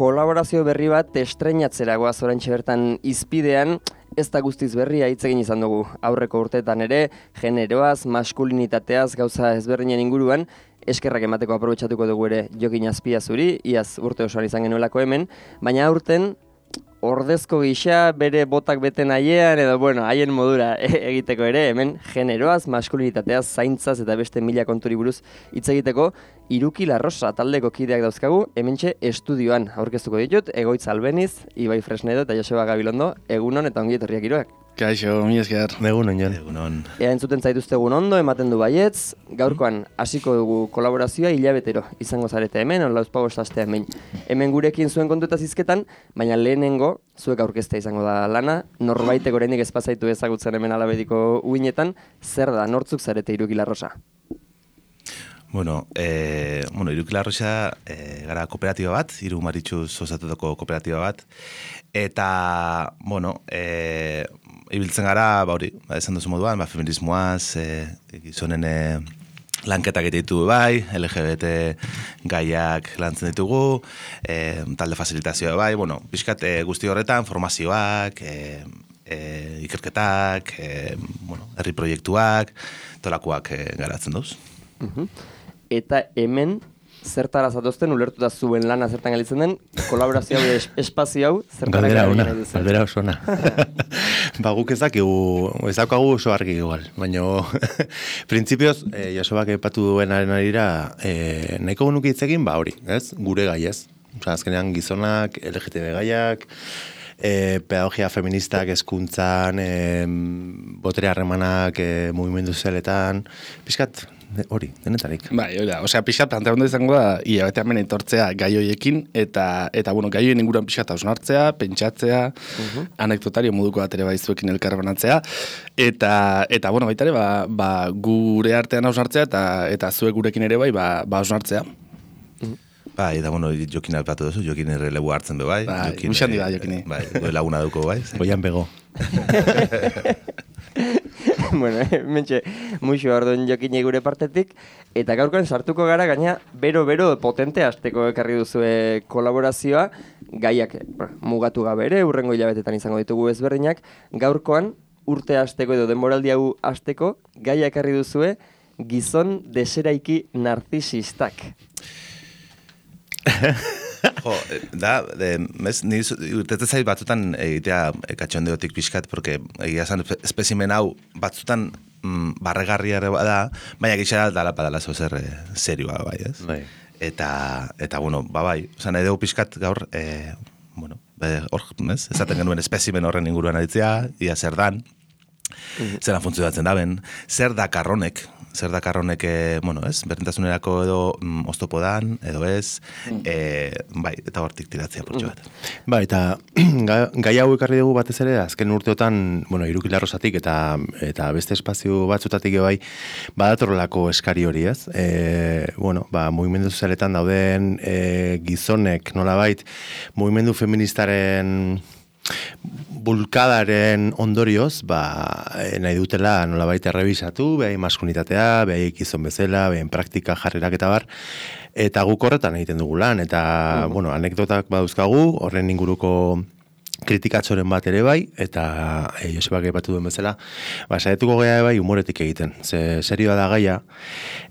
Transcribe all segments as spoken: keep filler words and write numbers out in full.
kolaborazio berri bat estreinatzera goaz oraintxe bertan izpidean, ez da guztiz berria hitz egin izan dugu. Aurreko urteetan ere, generoaz, maskulinitateaz, gauza ezberdinen inguruan, eskerrak emateko aprobetxatuko dugu ere Jokin Azpiazuri, iaz urte osoan izan genuelako hemen, baina aurten ordezko gisa bere botak beten haiean edo bueno, haien modura egiteko ere, hemen generoaz, maskulinitateaz, zaintzaz eta beste mila konturi buruz hitz egiteko, Iruki Larrosa taldeko kideak dauzkagu, hementxe estudioan aurkeztuko ditut, Egoitz Albeniz, Ibai Fresnedo eta Joseba Gabilondo, egunon eta ongi etorriak Iroak. Kaixo, mi esker. Egunon, Jon. Egunon. Ea entzuten zaituztegun ondo, ematen du baietz, gaurkoan hasiko dugu kolaborazioa hilabetero izango zarete hemen, on lauzpago estastea hemen. Hemen gurekin zuen kontuetaz hizketan, baina lehenengo zuek aurkeztea izango da lana, norbaitek oraindik ez pasaitu ezagutzen hemen Alabediko uinetan, zer da, nortzuk zarete Iruki Larrosa? Bueno, eh, bueno, Iruki Larrosa eh, gara kooperatiba bat, hiru maritxuz osatutako kooperatiba bat, eta, bueno, eh, ibiltzen gara, ba hori, ba, esan duzu moduan, ba, feminismoaz, eh, gizonen eh, lanketak ditu bai, L G B T gaiak lantzen ditugu, eh, talde fasilitazioa bai, bueno, pixkat eh, guzti horretan, formazioak, eh, eh, ikerketak, eh, bueno, herri proiektuak, tolakoak eh, garatzen duz. Uh-huh. Eta hemen, zertara zatozten, ulertuta zuen lana zertan galitzen den, kolaborazio hau es, espazio hau, zertara galdera ona, galitzen den. galdera oso ona. Ba, guk ez dakigu, ez daukagu oso argi igual, baina printzipioz, eh, Josebak epatu duenaren arira, eh, nahiko genuke hitz egin, ba hori, ez? Gure gai ez. Osa, azkenean gizonak, L G T B gaiak, eh, pedagogia feministak hezkuntzan, eh, botere harremanak, eh, mugimendu sozialetan, pixkat, hori, denetarik. Bai, oida, osea, pixat planteamendu izango da, ia bete hemen etortzea gai hoiekin, eta, eta bueno, gai hoien inguruan pixat hausnartzea, pentsatzea, uh-huh. anekdotario moduko bat ere baizuekin elkarbanatzea, eta, eta bueno, baita ere, ba, ba, gure artean hausnartzea, eta, eta zuek gurekin ere bai, ba, ba hausnartzea. Uh-huh. Bai, eta bueno, Jokin alpatu duzu, Jokin errelebu hartzen be bai. Bai, muxan dira Jokini. Bai, goe laguna duko bai. Goian bego. Bueno, mentxe, muixo orduen Jokin gure partetik, eta gaurkoan sartuko gara gaina bero-bero potente hasteko ekarri duzue kolaborazioa, gaiak mugatu gabe ere, urrengo hilabetetan izango ditugu ezberdinak, gaurkoan urte hasteko edo denboraldi hau hasteko gaia ekarri duzue gizon deseraiki narzisistak. Jo, da, de, mes, ni urtetzen zait batzutan egitea katxondeotik pixkat, porque egia zan espezimen hau batzutan mm, barregarria ere da, baina gixera dala padala zozer eh, serioa bai, ez? Bai. Eta, eta bueno, ba bai, osan edo pixkat gaur, eh, bueno, hor, ez? Ezaten genuen espezimen horren inguruan aritzea, ia zer dan, mm-hmm. zeran funtzionatzen daben, zer da karronek, zer da karronek, bueno, ez, berdintasunerako edo mm, oztopo dan, edo ez, mm. e, bai, eta hortik tiratzea portxo bat. Mm. Ba, eta gai hau ekarri dugu batez ere, azken urteotan, bueno, Iruki Larrosatik eta eta beste espazio batzutatik bai, badatorrelako eskari hori, ez? E, bueno, ba, mugimendu sozialetan dauden e, gizonek, nolabait, mugimendu feministaren bulkadaren ondorioz, ba, nahi dutela nolabait errebisatu, behain maskulinitatea, behain gizon bezala, behain praktika jarrerak eta bar, eta guk horretan egiten dugu lan, eta, uh-huh. bueno, anekdotak baduzkagu, horren inguruko kritikatzoren bat ere bai, eta e, Josebak aipatu duen bezala, ba, saietuko gea bai humoretik egiten, ze serioa da gaia,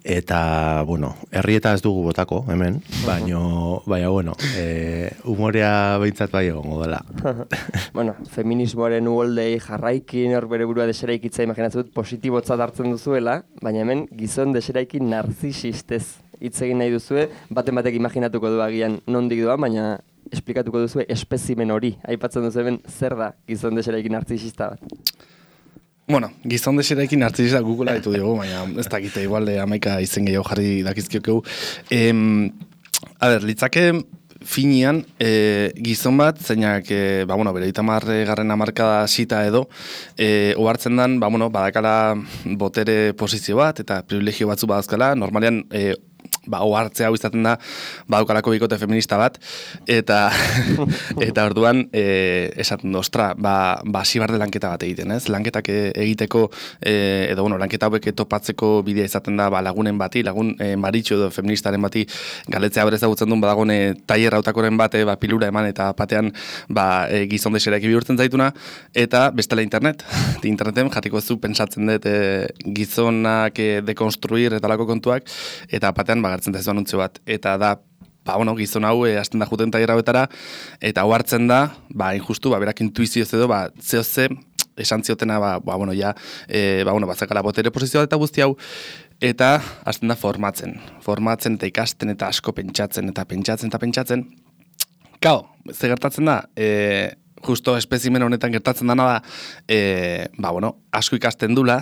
eta, bueno, herrieta ez dugu botako, hemen, baino, baina, bueno, e, humorea behintzat bai egongo dela. Bueno, feminismoaren uholdei jarraikin hor bere burua deseraikitza imaginatzen dut positibotzat hartzen duzuela, baina hemen gizon deseraikin narzisistez hitz egin nahi duzue, baten batek imaginatuko du agian nondik doa, baina esplikatuko duzu espezimen hori, aipatzen duzu hemen zer da gizon deseraikin narzisista bat? Bueno, gizon deseraikin narzisista Googlea ditu dugu, baina ez dakite igual de amaika izen gehiago jarri dakizkiokeu. Em, a ber, litzake finian e, gizon bat, zeinak, e, ba, bueno, bere itamarre garren amarkada sita edo, e, ohartzen dan, ba, bueno, badakala botere posizio bat, eta privilegio batzu badazkala, normalean, e, ba, ohartzea hau izaten da, badaukalako bikote feminista bat, eta eta orduan, e, esaten du, ostra, ba, ba, zibarde lanketa bat egiten, ez? Lanketak egiteko, e, edo, bueno, lanketa hauek topatzeko bidea izaten da, ba, lagunen bati, lagun e, maritxo edo feministaren bati, galetzea berez dagutzen duen, badagone tailer hautakoren bate, ba, pilura eman, eta batean, ba, e, gizon deserak bihurtzen zaituna, eta bestela internet. Interneten jatiko zu pentsatzen dut e, gizonak e, dekonstruir eta lako kontuak, eta batean bagartzen da ez anuntzio bat. Eta da, ba, bueno, gizon hau e, azten da juten taierra betara, eta hau hartzen da, ba, injustu, ba, berak intuizioz edo, ba, zeo ze, esan ziotena, ba, ba, bueno, ja, e, ba, bueno, bazakala botere posizioa eta guzti hau, eta azten da formatzen. Formatzen eta ikasten eta asko pentsatzen eta pentsatzen eta pentsatzen. Kao, ze gertatzen da, e, justo espezimen honetan gertatzen dana da, e, ba, bueno, asko ikasten dula,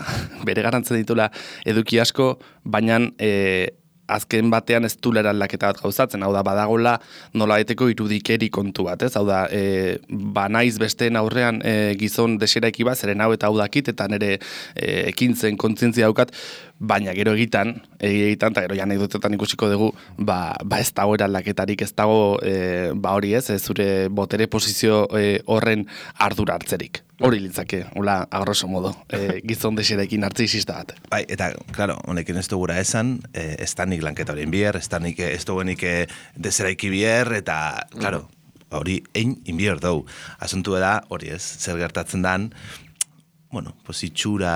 bere garantzen ditula eduki asko, baina e, azken batean ez dulera aldaketa bat gauzatzen, hau da, badagola nola eteko irudikeri kontu bat, ez? Hau da, e, ba naiz besteen aurrean e, gizon deseraiki bat, zeren hau eta hau dakit, eta nire e, ekintzen kontzientzia daukat, baina gero egitan, egitan, eta gero ja anekdotetan ikusiko dugu, ba, ba ez dago eraldaketarik, ez dago, e, ba hori ez, ez zure botere posizio e, horren ardura hartzerik. Hori litzake, hola, a grosso modo, e, gizon deserekin narcisista bat. Bai, eta, claro, honekin ez dugura esan, e, ez da nik lanketa horien bier, ez da nik, ez duguenik deseraiki bier, eta, claro, hori ein inbier dugu. Asuntu da, hori ez, zer gertatzen dan, bueno, pues itxura,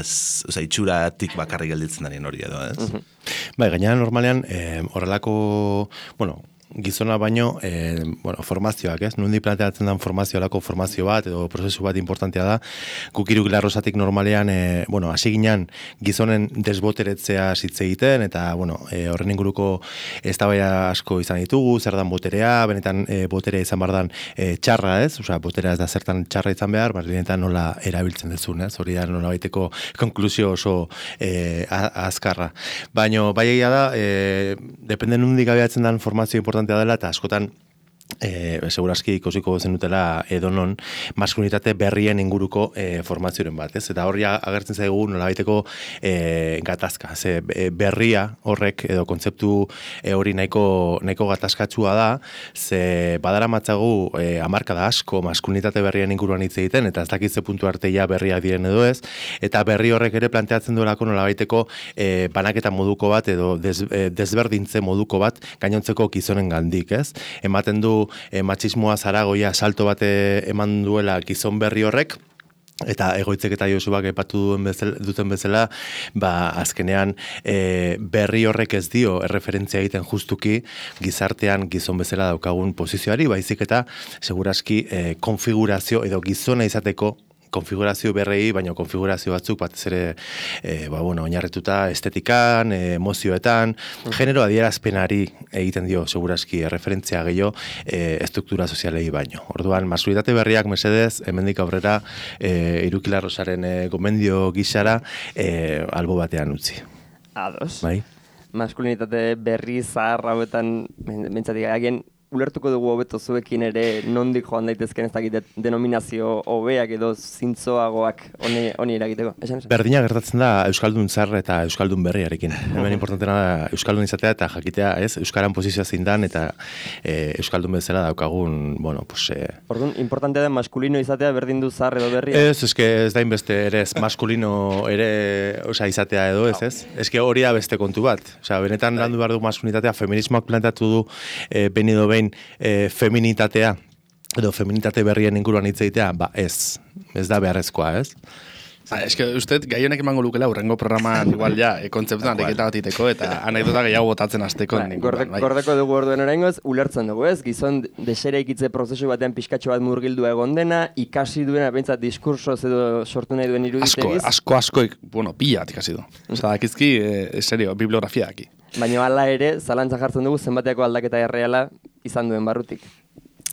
oza, itxuratik bakarrik gelditzen darien hori edo, ez? Uh-huh. Bai, gainera normalean, eh, horrelako, bueno, gizona baino, eh, bueno, formazioak, ez? Nundi planteatzen den formazio alako formazio bat, edo prozesu bat importantea da. Guk iruk larrosatik normalean, eh, bueno, hasi ginen gizonen desboteretzea hitz egiten, eta, bueno, eh, horren inguruko eztabaida asko izan ditugu, zer dan boterea, benetan eh, boterea izan behar dan eh, txarra, ez? Osea, boterea ez da zertan txarra izan behar, benetan nola erabiltzen dezun, ez? Hori da nola baiteko konklusio oso eh, azkarra. Baina, bai egia da, eh, depende nundi gabeatzen den formazio importantea dela, eta askotan E, seguraski ikusiko zenutela edonon maskulinitate berrien inguruko e, formazioren bat, ez? Eta horri agertzen zaigu nolabaiteko e, gatazka, ze berria horrek edo kontzeptu e, hori nahiko, nahiko gatazkatsua da, ze badara matzagu e, hamarkada asko maskulinitate berrien inguruan hitz egiten, eta ez dakitze puntu arteia berriak diren edo ez, eta berri horrek ere planteatzen duelako nolabaiteko e, banaketa moduko bat edo des, e, desberdintze moduko bat gainontzeko gizonen gandik, ez? Ematen du E, matxismoa zaragoia salto bate eman duela gizon berri horrek, eta egoitzek eta Josubak epatu duen bezala, duten bezala, ba, azkenean e, berri horrek ez dio erreferentzia egiten justuki gizartean gizon bezala daukagun posizioari, baizik eta seguraski e, konfigurazio edo gizona izateko konfigurazio berrei, baina konfigurazio batzuk batez ere e, ba, bueno, oinarrituta estetikan, e, emozioetan, mm. genero adierazpenari egiten dio seguraski referentzia gehiago e, estruktura sozialei baino. Orduan, maskulitate berriak mesedez, hemendik aurrera e, Irukilarrosaren e, gomendio gixara e, albo batean utzi. Ados. Bai? Maskulinitate berri zahar hauetan, mentzatik agien, ulertuko dugu hobeto zuekin ere nondik joan daitezken ez dakit denominazio hobeak edo zintzoagoak honi, honi eragiteko. Esan, esan. Berdina gertatzen da Euskaldun zar eta Euskaldun berriarekin. Hemen importantena da Euskaldun izatea eta jakitea, ez? Euskaran posizioa zein dan eta e, Euskaldun bezala daukagun, bueno, pues... E... Orduan, importantea da maskulino izatea berdin du zar edo berria? Ez, eske ez da inbeste ere ez maskulino ere, osea, izatea edo ez, ez? Eske hori da beste kontu bat. Osea, benetan landu behar du maskulinitatea, feminismoak planteatu du e, benido behin E, feminitatea edo feminitate berrien inguruan hitz egitea, ba ez, ez da beharrezkoa, ez? Ah, eske usted gai honek emango lukela urrengo programan igual ja e, kontzeptuan ariketa bat iteko eta anekdota gehiago botatzen hasteko. Bai, gordeko, bai. Gordeko dugu orduen oraingoz, ulertzen dugu, ez? Gizon desereikitze prozesu batean pizkatxo bat murgildua egon dena, ikasi duena behintzat diskursoz edo sortu nahi duen iruditegiz. Asko, asko, asko, bueno, pila bat ikasi du. Osa, dakizki, e, serio, bibliografia daki. Baina hala ere, zalantza jartzen dugu zenbateako aldaketa erreala izan duen barrutik.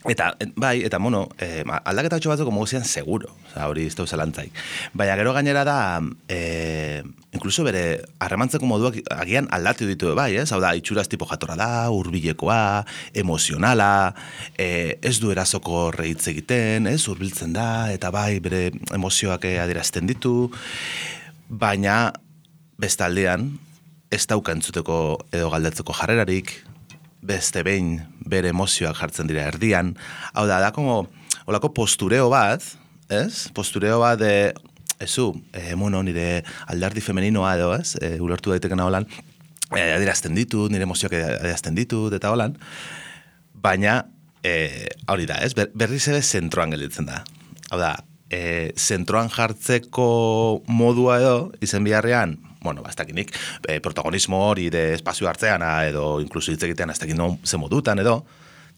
Eta, bai, eta, bueno, eh, aldaketa hotxo batzuk mogu zian seguro, oza, hori ez da zalantzaik. Baina gero gainera da, eh, inkluso bere, harremantzeko moduak agian aldatu ditu, bai, ez? Hau da, itxuraz tipo jatorra da, hurbilekoa, emozionala, eh, ez du erazoko rehitz egiten, ez? Hurbiltzen da, eta bai, bere emozioak adierazten ditu, baina bestaldean, ez dauka entzuteko edo galdetzeko jarrerarik, beste behin bere emozioak jartzen dira erdian, hau da, da como, olako postureo bat, ez? Postureo bat de, ezu, e, bueno, nire aldardi femeninoa edo, ez? E, ulertu daitekena holan, e, adierazten ditut, nire emozioak adierazten ditut, eta holan, baina, e, hori da, ez? Ber, berriz ere zentroan gelditzen da. Hau da, e, zentroan jartzeko modua edo, izen biharrean, bueno, bastakinik, e, protagonismo hori de espazio hartzean, edo inkluso hitz egitean, ez dakit no, ze modutan edo,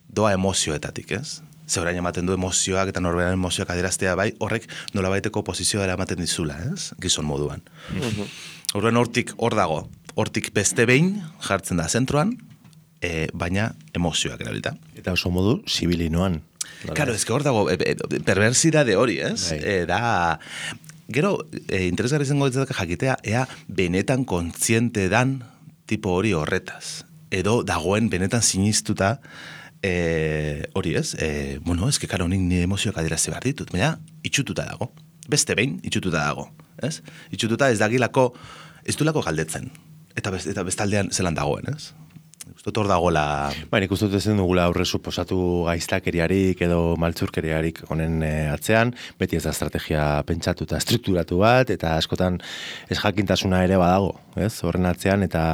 doa emozioetatik, ez? Zeurain ematen du emozioak eta norberaren emozioak adieraztea bai, horrek nolabaiteko posizioa ematen dizula, ez? Gizon moduan. Horren hortik hor dago, hortik beste behin jartzen da zentroan, e, baina emozioak erabilita. Eta oso modu zibilinoan. Claro, ez que hor dago, e, e, perversidade hori, ez? E, da, gero, e, interesgarri zengo ditzatak jakitea, ea benetan kontziente dan tipo hori horretaz. Edo dagoen benetan sinistuta E, hori ez, e, bueno, ez que karo nik nire emozioak adierazi behar ditut, baina itxututa dago, beste behin itxututa dago, ez? Itxututa ez dagilako, ez du lako galdetzen, eta, best, eta bestaldean zelan dagoen, ez? Uztot hor dagoela... Baina ikustu ezen dugula aurre suposatu gaiztakeriarik edo maltzurkeriarik honen e, atzean, beti ez da estrategia pentsatu eta estrukturatu bat, eta askotan ez jakintasuna ere badago, ez? Horren atzean, eta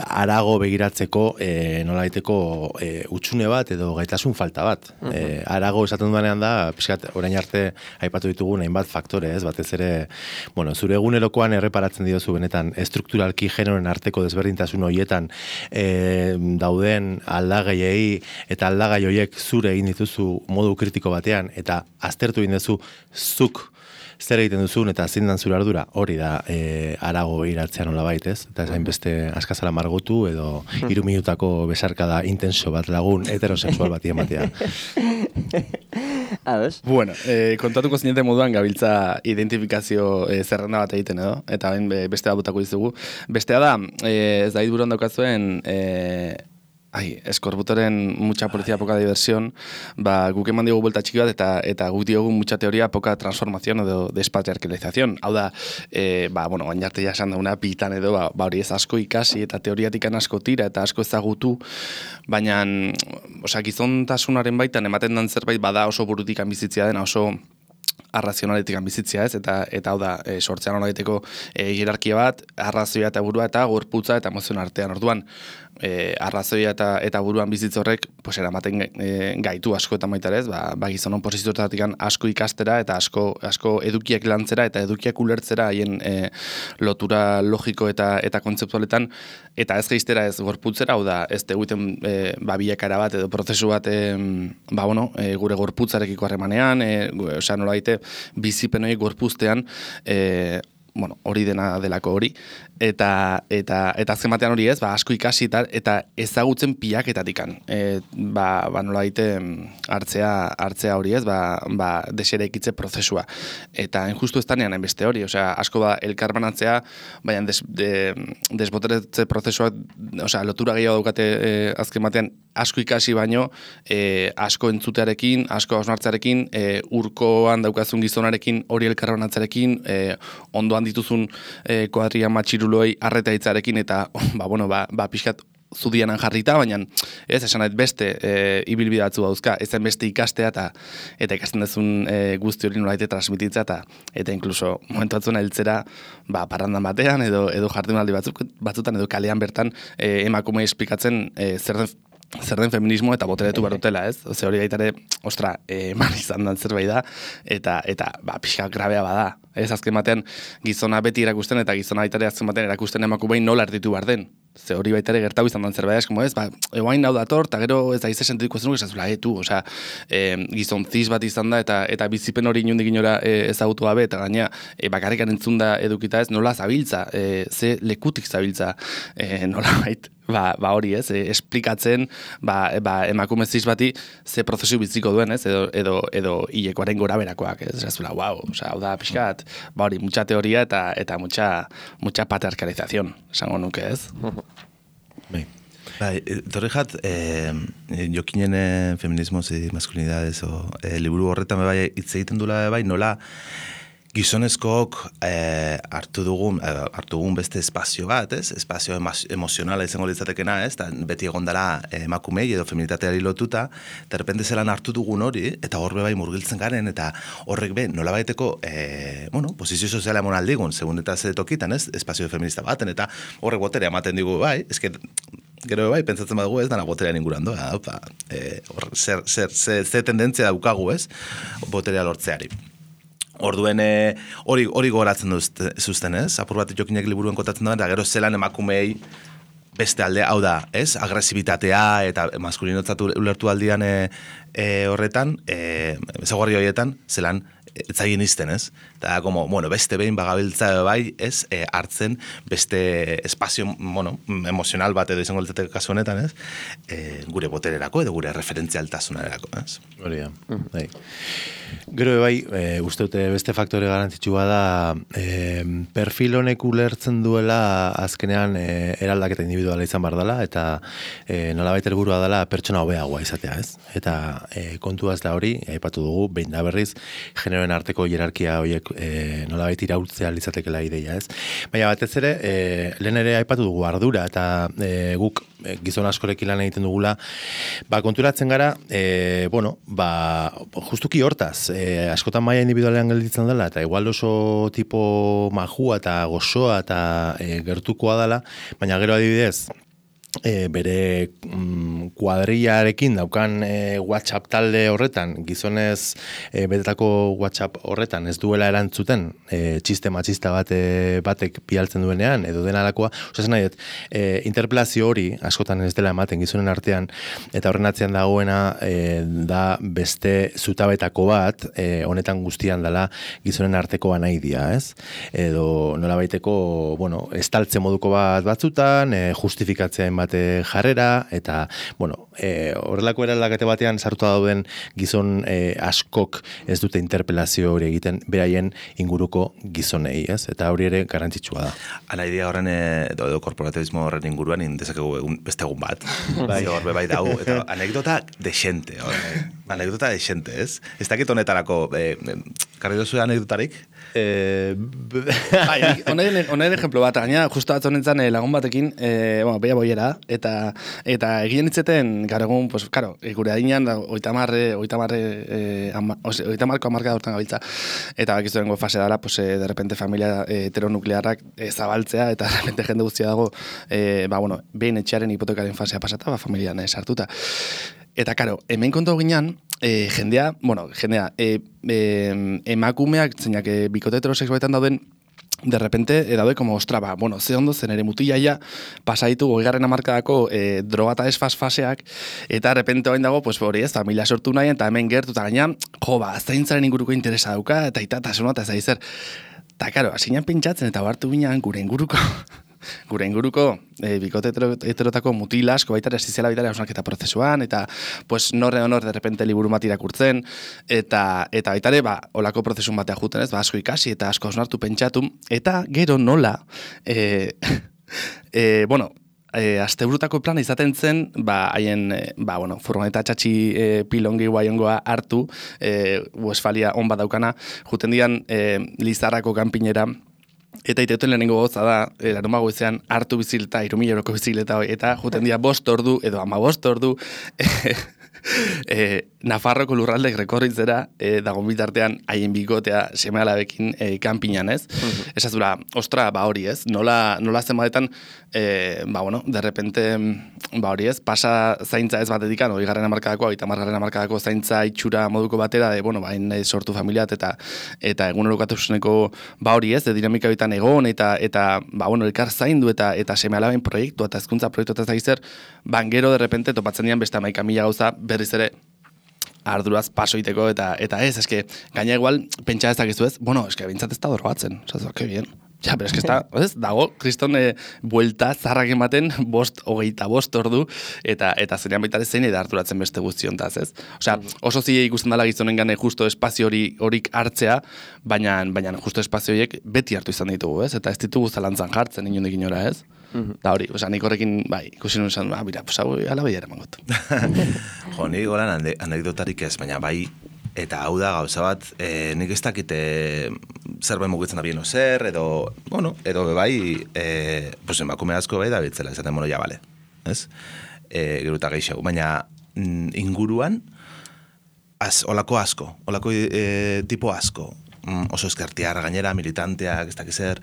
arago begiratzeko e, nolaiteko e, utxune bat edo gaitasun falta bat. Uh -huh. e, arago esaten duanean da, pixkat, orain arte aipatu ditugu hainbat faktore, ez? Batez ere, bueno, zure egunerokoan erreparatzen diozu benetan estrukturalki genoren arteko desberdintasun horietan e, dauden aldagaiei eta aldagai horiek zure egin dituzu modu kritiko batean eta aztertu egin duzu zuk zer egiten duzun eta zein dan zure ardura, hori da e, arago iratzean nolabait, ez? Eta esain beste askazala margotu edo hiru minutako besarkada intenso bat lagun heterosexual bati ematea. Ados? Bueno, eh, kontatuko zinete moduan gabiltza identifikazio eh, zerrenda bat egiten edo, eta bain beste da botako dizugu. Bestea da, eh, ez da buruan daukazuen, eh, ai, eskorbutoren mucha policía, poca diversión, ba, guk eman diogu buelta txiki bat, eta, eta guk diogu mucha teoria, poca transformación edo despatriarkalización. Hau da, e, ba, bueno, gain arte jasan dauna pitan edo, ba, ba hori ez asko ikasi, eta teoriatikan asko tira, eta asko ezagutu, baina, osea, gizontasunaren baitan, ematen dan zerbait, bada oso burutikan bizitzia dena, oso arrazionaletik bizitzia, ez? Eta eta hau da, e, sortzean horieteko e, hierarkia bat, arrazoia eta burua eta gorputza eta emozioen artean. Orduan, e, arrazoia eta eta buruan bizitz horrek, pues eramaten e, gaitu asko eta baita ez, ba, ba gizonon posizioetatik asko ikastera eta asko asko edukiak lantzera eta edukiak ulertzera haien e, lotura logiko eta eta kontzeptualetan, eta ez geiztera ez gorputzera, hau da, ez teguten e, ba bilakara bat edo prozesu bat e, ba bueno, e, gure gorputzarekiko harremanean, e, osea nola daite bizipen horiek gorpuztean, e, bueno, hori dena delako hori, eta eta eta azken batean hori ez, ba, asko ikasi eta, eta ezagutzen pilaketatikan. E, ba, ba nola daite hartzea, hartzea hori ez, ba, ba deserekitze prozesua. Eta injustu ez tanean beste hori, osea, asko ba elkarbanatzea, baina des, de, desboteretze prozesuak, osea, lotura gehiago daukate e, azken batean, asko ikasi baino, e, asko entzutearekin, asko hausnartzearekin, e, urkoan daukazun gizonarekin, hori elkarbanatzearekin, e, ondoan dituzun e, kuadria matxiruloi arreta hitzarekin, eta, ba, bueno, ba, ba pixkat zudianan jarrita, baina ez, esan nahi beste e, ibilbidatzu dauzka, ezen beste ikastea eta eta ikasten dezun e, guzti hori nolaite transmititza eta eta inkluso momentu batzuna heltzera ba, parrandan batean edo edo jardunaldi batzuk, batzutan edo kalean bertan e, emakumei esplikatzen e, zer den zer den feminismo eta boteretu barutela, ez? Ze hori gaitare, ostra, eman izan dan zerbait da, eta, eta ba, pixka grabea bada. Ez, azken batean, gizona beti erakusten, eta gizona baitare azken batean erakusten emakumei nola erditu behar den. Ze hori baitare gertau izan dan zerbait, ez, como ez, ba, eguain hau dator, eta gero ez da izan sentituko zenuk, ez da, etu, osea, e, gizon ziz bat izan da, eta eta bizipen hori inundik inora e, ezagutu gabe, eta gaina, e, bakarrikan entzun da edukita ez, nola zabiltza, e, ze lekutik zabiltza, e, nola bait, Ba, ba hori ez, e, esplikatzen ba, ba, emakume ziz bati ze prozesu biziko duen, ez, edo, edo, edo hilekoaren gora berakoak, ez, ez zula, wow, osea, hau da, pixkat, ba hori, mucha teoria eta eta mucha, mucha patriarkalización, esango nuke, ez? Bai, bai, torri jat, eh, jokinen eh, feminismos y masculinidades, o, eh, liburu horretan bai hitz egiten dula bai, nola, gizonezkook eh, hartu dugun eh, hartu dugun beste espazio bat, ez? Espazio emozionala izango litzatekena, ez? Ta beti egondala eh, emakumei edo feminitateari lotuta, de repente zelan hartu dugun hori eta horbe bai murgiltzen garen eta horrek be nolabaiteko eh, bueno, posizio soziala emon aldigun, segun eta ze tokitan, ez? Espazio feminista baten eta horrek boterea ematen digu bai, eske gero bai, pentsatzen badugu ez, dana boterean inguruan doa, opa, eh, or, zer, zer, zer, zer tendentzia daukagu ez, boterea lortzeari. Orduen hori hori gogoratzen zuzten, ez? Apur bat jokinek liburuen kotatzen da, eta gero zelan emakumei beste alde, hau da, ez? Agresibitatea eta maskulinotzat ulertu aldian e, e, horretan, e, ezaguarri horietan, zelan etzaien izten, ez? Eta, como, bueno, beste behin bagabiltza bai, ez? E, hartzen beste espazio, bueno, emozional bat edo izango litzateke kasu honetan, ez? E, gure botererako edo gure referentzialtasunerako, ez? Hori da, bai. Gero bai, e, uste dute beste faktore garrantzitsua da e, perfil honek ulertzen duela azkenean e, eraldaketa individuala izan bar dela eta e, nolabait helburua dela pertsona hobeagoa izatea, ez? Eta e, kontua ez da hori, aipatu dugu, behin da berriz, generoen arteko hierarkia horiek e, nolabait iraultzea litzatekela ideia, ez? Baina batez ere, e, lehen ere aipatu dugu ardura eta e, guk e, gizon askorekin lan egiten dugula, ba, konturatzen gara, e, bueno, ba, justuki hortaz, E, askotan maila individualean gelditzen dela, eta igual oso tipo majua eta gozoa eta e, gertukoa dela, baina gero adibidez, E, bere mm, kuadrillarekin daukan e, WhatsApp talde horretan, gizonez e, betetako WhatsApp horretan ez duela erantzuten e, txiste matxista bate, batek bialtzen duenean, edo dena alakoa, osazen nahi dut, e, interpelazio hori askotan ez dela ematen gizonen artean, eta horren atzean dagoena e, da beste zutabetako bat, e, honetan guztian dela gizonen arteko anaidia, ez? Edo nola baiteko, bueno, estaltze moduko bat batzutan, e, justifikatzen bate jarrera, eta, bueno, e, horrelako eraldakete batean sartuta dauden gizon e, askok ez dute interpelazio hori egiten beraien inguruko gizonei, ez? Eta hori ere garrantzitsua da. Ala idea horren, edo, edo korporatibismo horren inguruan, indezakegu egun, beste egun bat. Bai, horbe bai dau, eta anekdota desente, horre. Anekdota desente, ez? Ez dakit honetarako, e, karri dozu anekdotarik? Eh, Honen ejemplo bat, gaina, justo atzonetzen eh, lagun batekin, eh, bueno, beia boiera, eta eta egien itzeten, gara egun, pues, karo, gure adinean, oitamarre, oitamarre, eh, ama, ose, oitamarko amarka da urtan gabiltza, eta bakizu dengo fase dara, pues, eh, de repente familia eh, heteronuklearrak eh, zabaltzea, eta de repente jende guztia dago, eh, ba, bueno, behin etxearen hipotekaren fasea pasata, ba, familian eh, sartuta. Eta, karo, hemen kontu ginean, e, jendea, bueno, jendea, e, e, emakumeak, zeinak, e, bikote heterosexualetan dauden, de repente, e, daude, como, ostra, ba, bueno, ze ondo zen ere mutilaia, pasaitu goigarren amarkadako e, droga eta esfaz faseak, eta de repente oain dago, pues, hori ez, familia sortu nahi, eta hemen gertu, eta gaina, jo, ba, zaintzaren inguruko interesa dauka, eta itatasuna, eta ez da izer. Eta, karo, asinan pentsatzen, eta hartu binean, gure inguruko, gure inguruko e, bikote heterotako mutil asko baita esiziala baita hausnarketa prozesuan, eta pues norre honor de repente liburu bat irakurtzen, eta eta baita ere, ba, olako prozesun batea juten, ez, ba, asko ikasi eta asko hausnartu pentsatu, eta gero nola, e, e, bueno, E, asteburutako plana izaten zen, ba, haien, e, ba, bueno, furgoneta txatxi e, pilongi guaiongoa hartu, e, Westfalia on bat daukana, juten dian e, Lizarrako kanpinera, eta iteuten lehenengo goza da, e, larun bagoizean hartu bizilta, irumila euroko bizileta, eta juten dia bost ordu, edo ama bost ordu, e, e, Nafarroko lurraldek rekorritzera e, dagoen bitartean haien bikotea seme alabekin e, kanpinan, ez? Uh-huh. Esazura, ostra, ba hori, ez? Nola, nola zenbatetan, e, ba, bueno, de repente, ba hori, ez? Pasa zaintza ez batetikan, hori garren amarkadako, eta margarren amarkadako zaintza itxura moduko batera, de, bueno, bain ba, sortu familiat, eta eta egun erokatusuneko, ba hori, ez? De dinamika bitan egon, eta, eta ba, bueno, elkar zaindu, eta eta seme alaben proiektu, eta hezkuntza proiektu, eta zaizer, bangero, de repente, topatzen dian beste amaika mila gauza, berriz ere, arduraz pasoiteko, eta eta ez, eske, gaina igual, pentsa ez dakizu ez, bueno, eske, bintzat ez da dorbatzen, oza, que bien. Ja, pero es que está, ez, dago, kriston e, buelta zarrak ematen, bost, hogeita bost ordu, eta eta zenean baita zein eda harturatzen beste guztiontaz, ez? Osea, oso zile ikusten dela gizonen gane justo espazio hori horik hartzea, baina, baina justo espazio horiek beti hartu izan ditugu, ez? Eta ez ditugu zalantzan jartzen, inondik inora, ez? Mm-hmm. Da hori, osea, nik horrekin, bai, ikusi nuen esan, ah, mira, pues hau, ala behiara mangot. Jo, nik golan anekdotarik ez, baina bai, eta hau da gauza bat, e, nik ez dakite zerbait mugitzen da bien zer, edo, bueno, edo bai, e, pues emakume asko bai da biltzela, esaten, bueno, ja, bale, ez? E, gero eta gehiago, baina mm, inguruan, az, olako asko, olako e, tipo asko, mm, oso eskertiar gainera, militanteak, ez dakiz zer,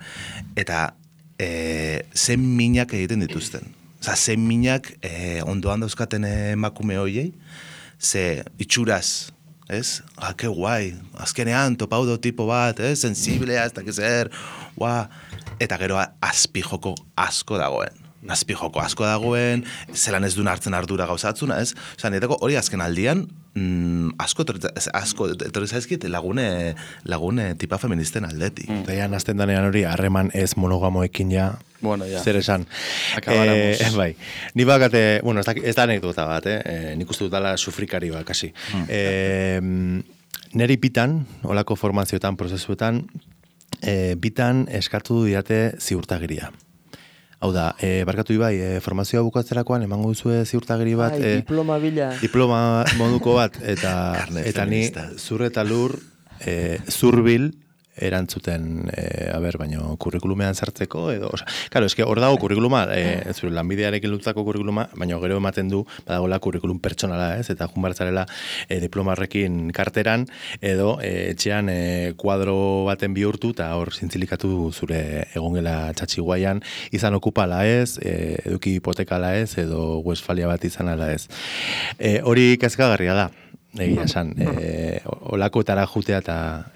eta e, zen minak egiten dituzten. Osa, zen minak e, ondoan dauzkaten emakume hoiei, ze itxuraz, ez? Ah, que guai, azkenean topaudo tipo bat, ez? Sensiblea, ez dakiz zer, ua, eta gero azpijoko asko dagoen. Azpijoko asko dagoen, zelan ez duen hartzen ardura gauzatzuna, ez? Osa, niretako hori azken aldian, mm, asko, asko, etorri zaizkit lagune, lagune tipa feministen aldetik. Mm. Daian, azten danean hori, harreman ez monogamoekin ja, bueno, ja. zer esan. Akabaramos. Eh, bai, ni bakate, bueno, ez da, ez da anekdota bat, eh? eh nik uste dutala sufrikari bat, kasi. Mm. Eh, neri bitan, olako formazioetan, prozesuetan, eh, bitan eskatu diate ziurtagiria. Hau da, e, barkatu ibai, e, formazioa bukatzerakoan emango duzue ziurtagiri bat. Ai, diploma bila. Diploma moduko bat, eta, eta ni zur eta lur, e, zurbil, erantzuten, e, a ber, baino, kurrikulumean sartzeko, edo, oza, claro, eske hor dago kurrikuluma, e, zure lanbidearekin lutako kurrikuluma, baino gero ematen du, badagoela kurrikulum pertsonala, ez, eta junbartzarela e, diplomarrekin karteran, edo e, etxean e, kuadro baten bihurtu, eta hor zintzilikatu zure egongela txatxiguaian, izan okupala ez, e, eduki hipotekala ez, edo Westfalia bat izan ala ez. E, hori kezkagarria da. Egia esan, e, olakoetara jutea eta,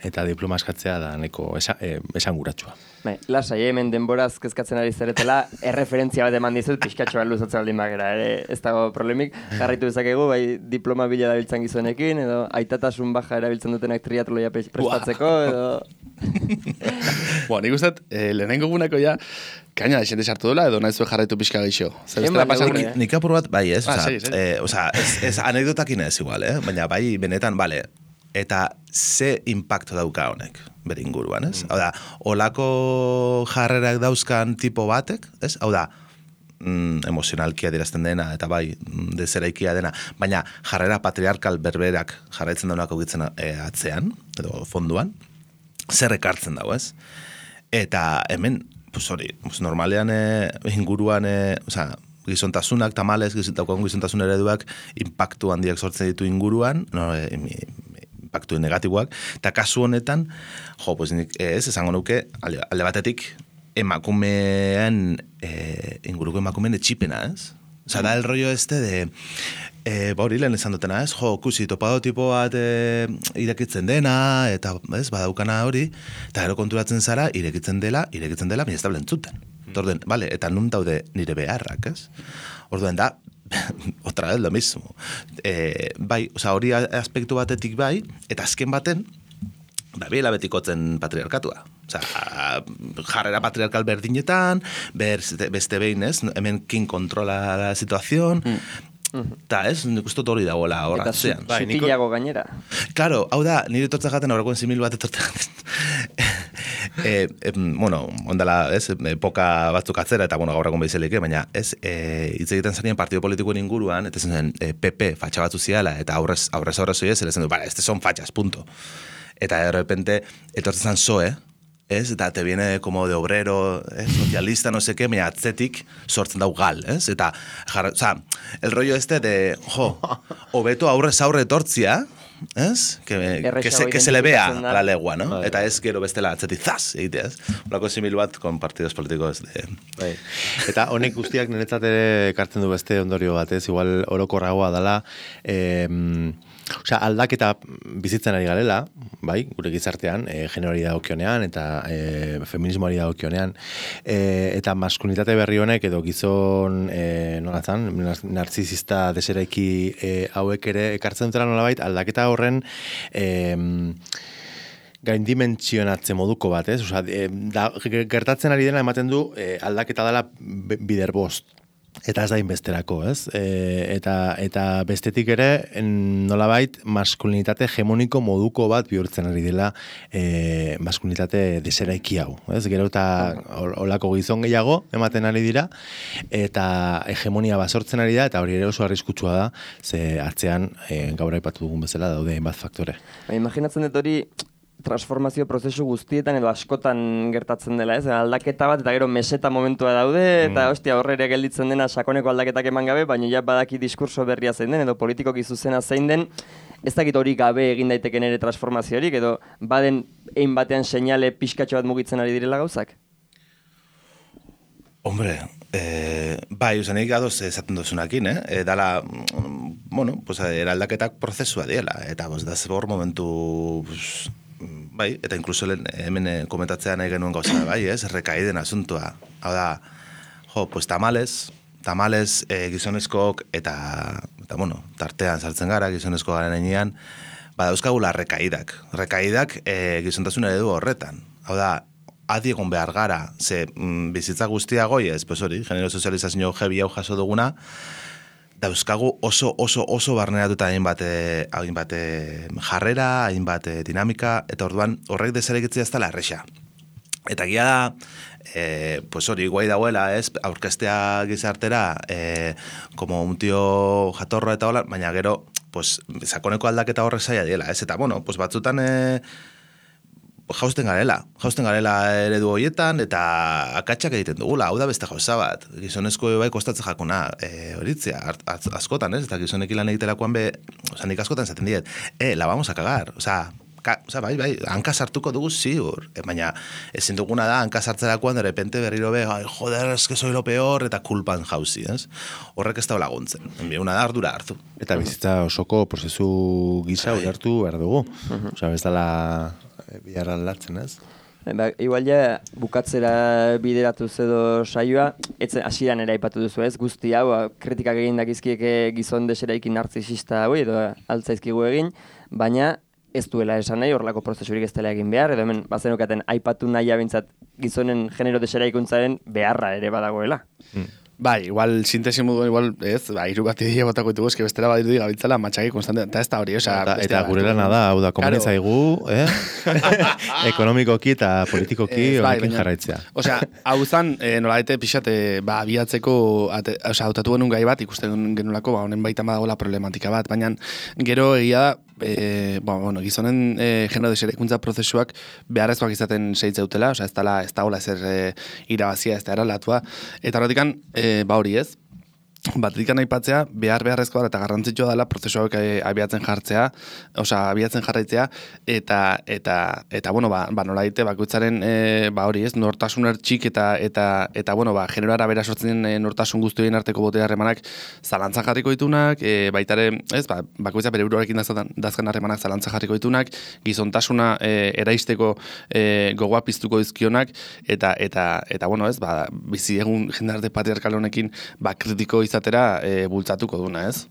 eta diploma eskatzea da neko esan, e, esan guratsua. Bai, lasai, hemen denboraz kezkatzen ari zaretela, erreferentzia bat eman dizut, pixkatxoa luzatzen aldin bagera, ere, ez dago problemik, jarraitu dezakegu, bai, diploma bila dabiltzan gizonekin, edo aitatasun baja erabiltzen dutenak triatloia prestatzeko, edo... Bueno, nik uste, eh, lehenengo guneko ja, kaina da xente sartu dela, edo nahi zuen jarraitu pixka geixo. Nik apur bat, bai, ez, ah, oza, sí, sí. eh, oza, ez, ez anekdotakin ez igual, eh? Baina bai, benetan, bale, eta ze impacto dauka honek, bere inguruan, ez? Mm. Hau da, olako jarrerak dauzkan tipo batek, ez? Hau da, mm, emozionalkia dirazten dena, eta bai, dezeraikia dena, baina jarrera patriarkal berberak jarraitzen daunak augitzen e, atzean, edo fonduan, zer ekartzen dago, ez? Eta hemen, pues hori, pues normalean e, inguruan, e, oza, gizontasunak, tamales, daukagun gizontasun ereduak, impactu handiak sortzen ditu inguruan, no, e, impactu negatiboak, eta kasu honetan, jo, pues nik, ez, esango nuke, alde, alde batetik, emakumean, e, inguruko emakumeen etxipena, ez? Osa, da el rollo este de, e, ba hori lehen esan dutena, ez? Jo, kusi, topado tipo bat e, irekitzen dena, eta, ez, badaukana hori, eta gero konturatzen zara, irekitzen dela, irekitzen dela, baina ez da blentzuten. Orduen, vale, eta nun daude nire beharrak, ez? Orduen da, otra vez lo mismo. E, bai, oza, hori aspektu batetik bai, eta azken baten, da biela betikotzen patriarkatua. Oza, jarrera patriarkal berdinetan, ber, beste behin, ez? Hemen kin kontrola la situación, eta ez, nik uste hori dagoela horratzean. Eta sutilago gainera. Claro, hau da, nire etortzen jaten, aurrekoen simil bat etortzen jaten. e, e, bueno, ondala, ez, epoka batzuk atzera, eta bueno, gaur egon behizelike, baina ez, e, hitz egiten zanien partido politikoen inguruan, eta zen e, P P fatxa batzu ziala, eta aurrez aurrez aurrez oiez, zen du, vale, este son fachas, punto. Eta de repente, etortzen zan soe, ez? Eta te viene como de obrero, eh? Socialista, no sé qué, baina atzetik sortzen dau gal, ez? Eta, jar, o sea, el rollo este de, jo, hobeto aurrez aurre etortzia, ez? Que, que, se, que se le vea a la legua, no? Bai. Eta ez gero bestela atzetik, zaz, egitea, ez? Olako simil bat, con partidos políticos de... Bai. Eta honek guztiak niretzat ere ekartzen du beste ondorio bat, ez? Igual orokorragoa dela, eh, osea, aldaketa bizitzen ari garela, bai, gure gizartean, e, generori dagokionean eta e, feminismoari dagokionean, e, eta maskulinitate berri honek edo gizon, e, nolazan, narzizista deseraiki e, hauek ere ekartzen dutela nolabait, aldaketa horren e, gaindimentsionatze moduko bat, ez? Osea, e, da, gertatzen ari dena ematen du e, aldaketa dela bider bost. Eta ez da inbesterako, ez? E, eta, eta bestetik ere, nolabait, maskulinitate hegemoniko moduko bat bihurtzen ari dela e, maskulinitate deseraiki hau, ez? Gero eta olako gizon gehiago ematen ari dira, eta hegemonia basortzen ari da, eta hori ere oso arriskutsua da, ze atzean e, gaur aipatu dugun bezala daude bat faktore. Ba, imaginatzen dut hori, transformazio prozesu guztietan edo askotan gertatzen dela, ez? Aldaketa bat, eta gero meseta momentua daude, eta mm. ostia, horre ere gelditzen dena sakoneko aldaketak eman gabe, baina ja badaki diskurso berria zein den, edo politikoki zuzena zein den, ez dakit hori gabe egin daiteken ere transformaziorik, edo baden egin batean seinale pixkatxo bat mugitzen ari direla gauzak? Hombre, eh, bai, usanik adoz esaten duzunakin, eh? E, dala, bueno, pues, eraldaketak prozesua diela, eta bos, da zebor momentu, pues, bai, eta inkluso hemen komentatzea nahi genuen gauza, bai, ez, rekaiden asuntua. Hau da, jo, pues tamales, tamales eh, gizonezkoak eta, eta, bueno, tartean sartzen gara, gizonezko garen enean, bada euskagula rekaidak. Rekaidak eh, gizontasun eredu horretan. Hau da, adi egon behar gara, ze mm, bizitza guztia goi ez, pues hori, genero sozializazio jebi hau jaso duguna, dauzkagu oso, oso, oso barneratuta hainbat, hainbat jarrera, hainbat dinamika, eta orduan horrek desarekitzea ez dela erresa. Eta gira da, e, pues hori, guai dauela, ez, aurkestea gizartera, e, como un tío jatorro eta hola, baina gero, pues, sakoneko aldaketa horrek zaila diela, ez, eta, bueno, pues batzutan, e, jausten garela, jausten garela eredu horietan, eta akatsak egiten dugula, hau da beste gauza bat. Gizonezko bai kostatzen jakuna e, horitzea, askotan, ez? Eta gizonek lan egiterakoan be, oza, nik askotan zaten diet, eh, la vamos a cagar, oza, ka, oza, bai, bai, hanka sartuko dugu ziur, e, baina ezin duguna da, hanka sartzerakoan, de repente berriro be, ai, joder, es que soy lo peor, eta kulpan jauzi, ez? Horrek ez da laguntzen, una da ardura hartu. Eta bizitza osoko prozesu gisa ulertu behar dugu, oza, ez dela bihar aldatzen, ez? Ba, igual ja, bukatzera bideratuz edo saioa, etzen hasieran ere aipatu duzu ez, guzti hau, kritikak egin dakizkieke gizon deseraikin narzisista hau, edo altzaizkigu egin, baina ez duela esan nahi, horlako prozesurik ez dela egin behar, edo hemen bazenokaten aipatu nahi abintzat gizonen genero deseraikuntzaren beharra ere badagoela. Mm. Bai, igual sintesi modu igual, ez, ba, hiru bat idea botako ditugu, eske bestela badirudi gabiltzala matxaki konstante, eta ez da hori, osea, eta, eta gure lana da, hau da, komeni zaigu, eh? Ekonomikoki eta politikoki horrekin bai, jarraitzea. Osea, hau zan, e, nola ete pixate, ba, abiatzeko, osea, hautatu genuen gai bat, ikusten genulako, ba, honen baita badagoela problematika bat, baina gero egia da, E, bo, bueno, gizonen e, genero deserekuntza prozesuak beharrezkoak izaten seitzeutela, osea, ez dala, ez dagoela ezer e, irabazia, ez da eralatua, eta horretikan, e, ba hori ez, batetikan aipatzea, behar beharrezkoa eta garrantzitsua dela prozesuak e, abiatzen jartzea, osea, abiatzen jarraitzea, eta, eta, eta bueno, ba, ba nola daite, bakoitzaren, e, ba hori ez, nortasun ertxik eta, eta, eta bueno, ba, genero arabera sortzen e, nortasun guztioen arteko bote harremanak zalantzan jarriko ditunak, e, baitare, ez, ba, bakoitza bere buruarekin dazkan harremanak zalantzan jarriko ditunak, gizontasuna e, eraisteko e, gogoa piztuko dizkionak, eta, eta, eta, bueno, ez, ba, bizi egun jendarte patriarkal honekin, ba, kritiko izatera e, bultzatuko duna, ez?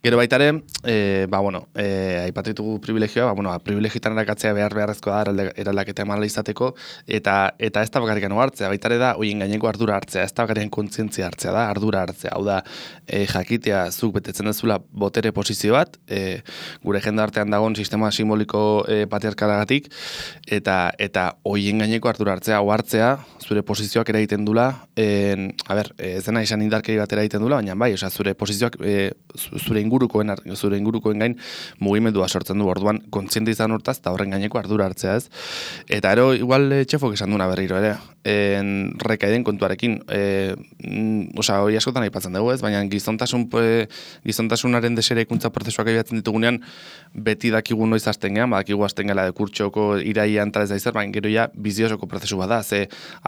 Gero baitare, e, ba, bueno, e, aipatitugu privilegioa, ba, bueno, privilegioetan erakatzea behar beharrezkoa da eraldaketa emala izateko, eta eta ez da bakarrikan hartzea, baitare da, hoien gaineko ardura hartzea, ez da bakarrikan kontzientzia hartzea da, ardura hartzea, hau da, e, jakitea zuk betetzen dezula botere posizio bat, e, gure jendartean dagoen sistema simboliko e, patriarkalagatik, eta eta hoien gaineko ardura hartzea, hau hartzea, zure posizioak ere egiten dula, en, a ber, ez dena izan indarkeri bat ere egiten dula, baina bai, osea, zure posizioak, e, zure ingurukoen, zure ingurukoen gain mugimendua sortzen du, orduan kontziente izan hortaz, eta horren gaineko ardura hartzea ez. Eta ero, igual e, txefok esan duna berriro ere, en, rekaiden kontuarekin, e, mm, osea, hori askotan aipatzen dugu ez, baina gizontasun, e, gizontasunaren deserekuntza prozesuak abiatzen ditugunean, beti dakigu noiz hasten gean, badakigu hasten gela dekurtxoko iraian talez daizer, baina gero ja biziosoko prozesu bada, ze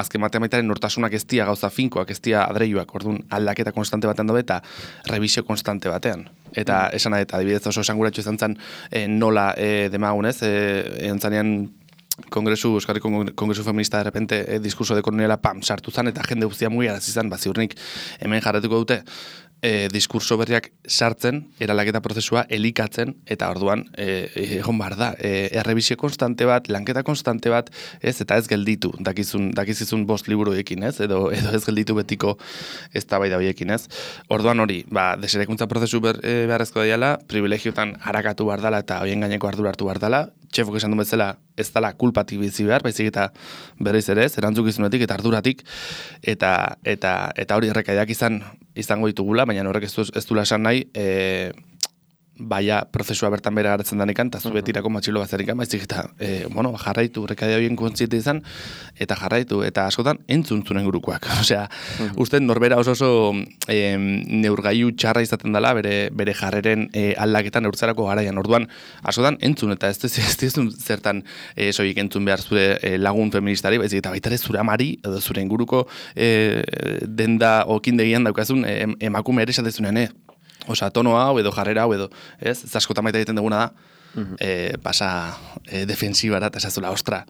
azken matemaitaren nortasunak ez dia gauza finkoak, ez dia adreiuak, orduan aldaketa konstante batean dobe eta revisio konstante batean. Eta mm. esan eta adibidez oso esanguratxo izan zen e, nola e, demagunez, e, entzanean kongresu, Euskarri Kongresu Feminista de repente e, diskurso de koloniala pam, sartu zen eta jende guztia mugi arazi zen, baziurnik hemen jarretuko dute, E, diskurso berriak sartzen, eralaketa prozesua elikatzen, eta orduan e, egon behar da. E, errebisio konstante bat, lanketa konstante bat, ez, eta ez gelditu, dakizun, dakizizun bost liburuekin, ez, edo, edo ez gelditu betiko ez da bai da horiekin, ez. Orduan hori, ba, deserekuntza prozesu ber, e, beharrezko daiala, privilegiotan harakatu behar dela, eta horien gaineko ardura hartu behar dela, txefok esan du bezala, ez dela kulpatik bizi behar, baizik eta berriz ere ez, erantzukizunetik eta arduratik, eta, eta, eta hori errekaidak izan, izango ditugula, baina horrek ez, ez dula esan nahi, e, baia prozesua bertan bere garatzen danekan, eta zu betirako matxilo bazarikan, baizik eta, e, bueno, jarraitu, rekadia horien kontziente izan, eta jarraitu, eta askotan entzun zuren gurukoak. Osea, uste norbera oso oso e, neurgailu txarra izaten dela, bere, bere jarreren e, aldaketan neurtzarako garaian. Orduan, askotan entzun, eta ez ez zertan e, soik entzun behar zure e, lagun feministari, baizik eta baita ere zure amari, edo zure inguruko e, denda okindegian daukazun e, emakume ere esatezunean, eh? Osa, tono hau edo jarrera hau edo, ez? Ez askotan baita egiten duguna da, uh-huh. e, pasa e, defensibara, eta esazula, ostra,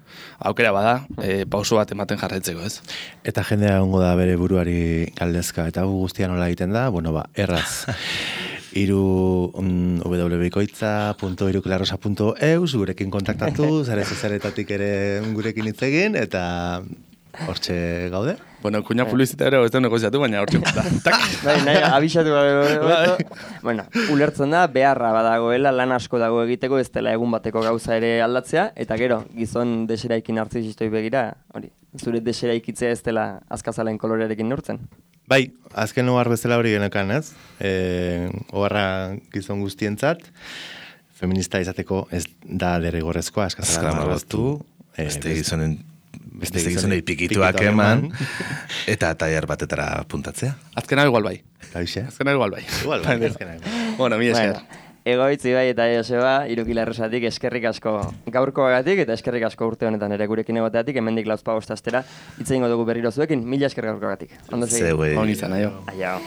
aukera bada, e, pauso bat ematen jarraitzeko, ez? Eta jendea egongo da bere buruari galdezka, eta gu guztia nola egiten da, bueno, ba, erraz. Iru um, w w w punto bikoitza punto iruklarrosa punto e u gurekin kontaktatu, zare zezaretatik ere gurekin hitz egin, eta hortxe gaude. Bueno, kuña publizitatea ez da negoziatu, baina hortxe da. Bai, nahi, abisatu gabe. Bueno, ulertzen da, beharra badagoela, lan asko dago egiteko, ez dela egun bateko gauza ere aldatzea, eta gero, gizon deseraikin nartzisistoi begira, hori, zure deseraikitzea ez dela azkazalen kolorearekin neurtzen. Bai, azken ohar bezala hori genekan, ez? E, oharra gizon guztientzat, feminista izateko ez da derrigorrezkoa, azkazala marraztu. Beste gizonen Beste gizonei pikituak eman, eta tailer batetara puntatzea. Azkena igual bai. Kaixe? Azkena igual bai. Igual bai, azkena igual. Bueno, mi esker. Egoitzi bai eta Joseba, Irukilarresatik eskerrik asko gaurkoagatik eta eskerrik asko urte honetan ere gurekin egoteatik, hemendik lauzpa bostastera hitz egingo dugu berriro zuekin, mila esker gaurkoagatik. Ondo segi. Zeue. Hon izan, aio. Aio.